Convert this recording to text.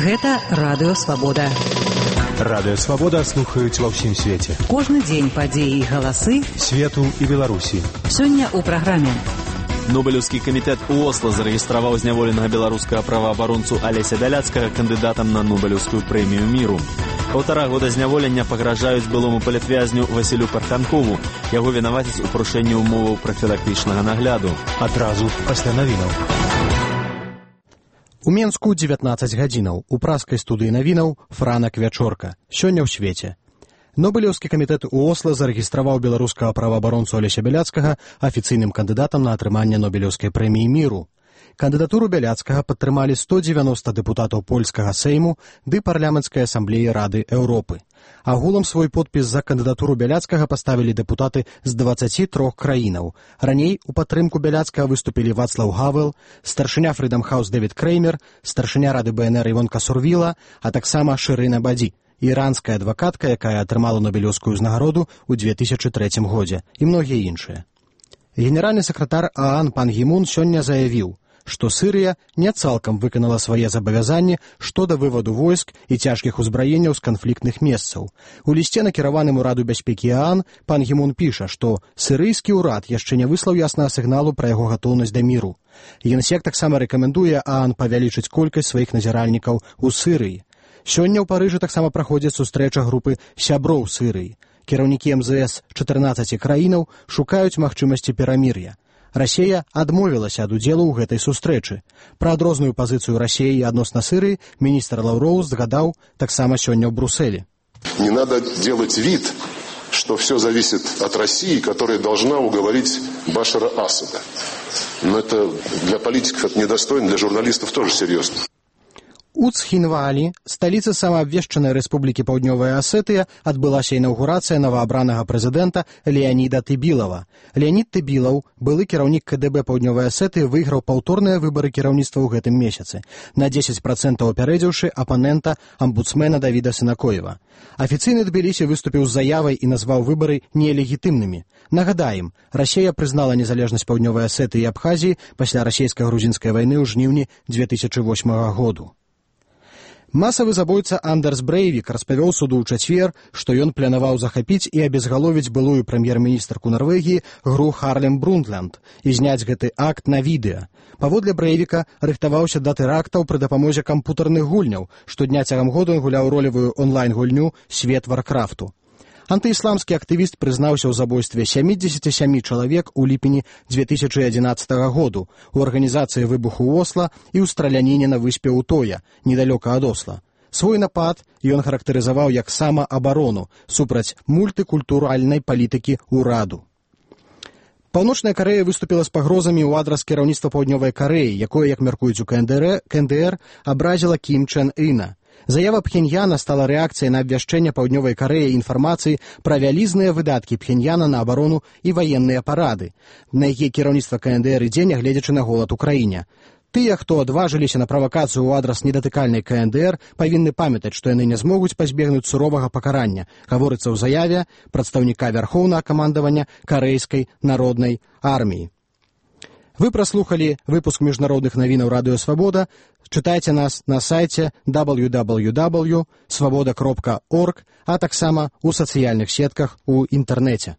Гэта Радыё Свабода. Радыё Свабода слухаюць ва ўсім свеце. Кожны дзень падзеі і галасы свету і Беларусі. Сёння ў праграме. Нобелеўскі камітэт у Осла зарэгістраваў зняволенага беларускага праваабаронцу Алеся Бяляцкага кандыдатам на Нобелеўскую прэмію міру. 1,5 года зняволення пагражаюць былому палітвязню Васілю Партанкову. Яго вінавацяць у парушэнні ўмоваў прафілактычнага нагляду. Адразу пасля навінаў. У Менску 19 гадзінаў. У праскай студыі навінаў Франак Вячорка. Сёння ў свеце. Нобелеўскі камітэт у Осла зарэгістраваў беларускага праваабаронцу Алеся Бяляцкага афіцыйным кандыдатам на атрыманне Нобелеўскай прэміі міру. Кандыдатуру Бяляцкага падтрымалі 190 дэпутатаў польскага Сейму ды парламенцкай асамблеі Рады Еўропы. Агулам свой подпіс за кандыдатуру Бяляцкага паставілі дэпутаты з 23 краінаў. Раней у падтрымку Бяляцкага выступілі Вацлаў Гавел, старшыня Фридам Хаус Дэвід Креймер, старшыня Рады БНР Івонка Сурвіла, а таксама Шырына Бадзі, іранская адвакатка, якая атрымала Нобелеўскую ўзнагароду ў 2003 годзе, і многія іншыя. Генеральны сакратар ААН пан Гі Мун сёння заявіў, што Сырыя не цалкам выканала свае забавязанні што да вываду войск і цяжкіх узбраенняў з канфліктных месцаў. У лісце, накіраваным у Раду бяспекі ААН, пан Гі Мун піша, што сырыйскі ўрад яшчэ не выслаў яснага сігналу пра яго гатоўнасць да міру. Генсек таксама рэкамендуе ААН павялічыць колькасць сваіх назіральнікаў у Сырыі. Сёння ў Парыжы таксама праходзіць сустрэча групы сяброў Сырыі. Кіраўнікі МЗС 14 краінаў шукаюць магчымасці перамір'я. Расія адмовілася ад удзелу ў гэтай сустрэчы. Пра адрозную пазіцыю Расіі адносна Сырыі міністр Лаўроў згадаў таксама сёння ў Брюсселе. Не надо делать вид, что все зависит от России, которая должна уговорить Башара Асада. Но это для политиков это недостойно, для журналистов тоже серьезно. У Цхінвалі, сталіцы самаабвешчанай Рэспублікі Паўднёвая Асетыя, адбылася інаўгурацыя новаабранага прэзідэнта Леаніда Тыбілава. Леанід Тыбілаў, былы кіраўнік КДБ Паўднёвай Асетыі, выйграў паўторныя выбары кіраўніцтва ў гэтым месяцы, на 10% апярэдзіўшы апанента амбудсмена Давіда Сынакоева. Афіцыйны Тбілісі выступіў з заявай і назваў выбары нелегітымнымі. Нагадаем, Расія прызнала незалежнасць Паўднёвай Асетыі і Абхазіі пасля расійска-грузінскай вайны ў жніўні 2008 году. Масавы забойца Андерс Брэйвік распавёў суду ў чацвер, што ён планаваў захапіць і абезгаловіць былую прэм'ер-міністрку Нарвегіі Гру Харлем Брундтланд і зняць гэты акт на відэа. Паводле Брэйвіка рыхтаваўся да тэрактаў пры дапамозе кампутарных гульняў, штодня цягам году ён гуляў ролевую онлайн-гульню «Свет Варкрафту». Антыісламскі актывіст прызнаўся ў забойстве 77 чалавек у ліпені 2011 году у арганізацыі выбуху ў Осла і ў страляніне на выспе Утоя, недалёка ад Осла. Свой напад ён характарызаваў як самаабарону супраць мультыкультуральнай палітыкі ўраду. Паўночная Карэя выступіла з пагрозамі ў адрас кіраўніцтва Паўднёвай Карэі, якое, як мяркуюць у КНДР, абразіла Кім Чен Іна. Заява Пхеньяна стала рэакцыяй на абвяшчэнне Паўднёвай Карэі інфармацыі пра вялізныя выдаткі Пхеньяна на абарону і ваенныя парады, на якія кіраўніцтва КНДР ідзе, нягледзячы на голад у краіне. Тыя, хто адважыліся на правакацыю ў адрас недатыкальнай КНДР, павінны памятаць, што яны не змогуць пазбегнуць суровага пакарання, гаворыцца ў заяве прадстаўніка вярхоўнага камандавання Карэйскай народнай арміі. Вы праслухалі выпуск міжнародных навінаў Радыё Свабода. Чытайце нас на сайце www.svoboda.org, а таксама ў сацыяльных сетках у інтэрнэце.